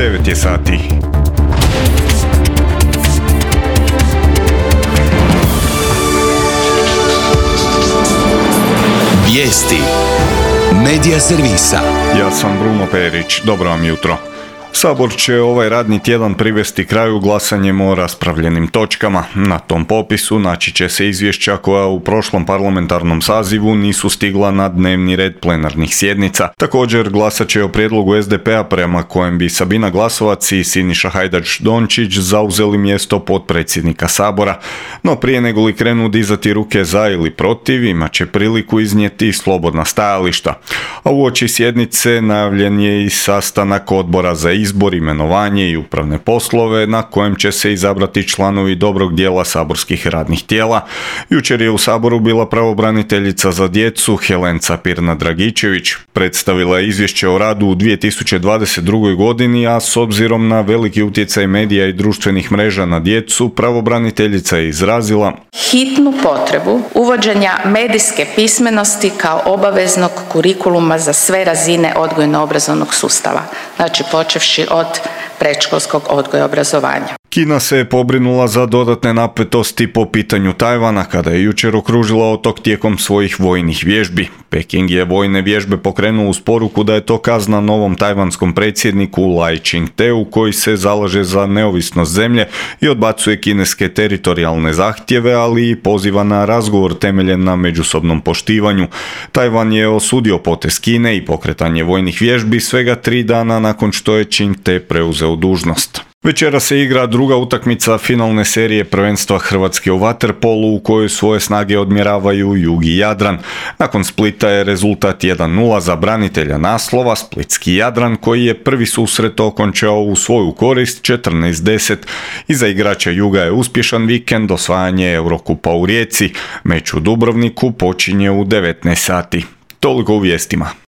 9 je sati. Vijesti Medija servisa. Ja sam Bruno Perić, dobro vam jutro. Sabor će ovaj radni tjedan privesti kraju glasanjem o raspravljenim točkama. Na tom popisu naći će se izvješća koja u prošlom parlamentarnom sazivu nisu stigla na dnevni red plenarnih sjednica. Također glasat će o prijedlogu SDP-a prema kojem bi Sabina Glasovac i Siniša Hajdaš-Dončić zauzeli mjesto potpredsjednika Sabora. No prije nego li krenu dizati ruke za ili protiv, imat će priliku iznijeti slobodna stajališta. A uoči sjednice najavljen je i sastanak odbora za izbor, imenovanje i upravne poslove na kojem će se izabrati članovi dobrog dijela saborskih radnih tijela. Jučer je u Saboru bila pravobraniteljica za djecu Helenca Pirnat-Dragičević. Predstavila je izvješće o radu u 2022. godini, a s obzirom na veliki utjecaj medija i društvenih mreža na djecu, pravobraniteljica je izrazila hitnu potrebu uvođenja medijske pismenosti kao obaveznog kurikuluma za sve razine odgojno-obrazovnog sustava, znači počevši od predškolskog odgoja i obrazovanja. Kina se je pobrinula za dodatne napetosti po pitanju Tajvana kada je jučer okružila otok tijekom svojih vojnih vježbi. Peking je vojne vježbe pokrenuo uz poruku da je to kazna novom tajvanskom predsjedniku Lai Ching-teu koji se zalaže za neovisnost zemlje i odbacuje kineske teritorijalne zahtjeve, ali i poziva na razgovor temeljen na međusobnom poštivanju. Tajvan je osudio potez Kine i pokretanje vojnih vježbi svega 3 dana nakon što je Ching-te preuzeo dužnost. Večera se igra druga utakmica finalne serije prvenstva Hrvatske u vaterpolu u kojoj svoje snage odmjeravaju Jug i Jadran. Nakon Splita je rezultat 1:0 za branitelja naslova, splitski Jadran, koji je prvi susret okončao u svoju korist 14:10. Iza igrača Juga je uspješan vikend, osvajanje Eurokupa u Rijeci. Meč u Dubrovniku počinje u 19 sati. Toliko u vijestima.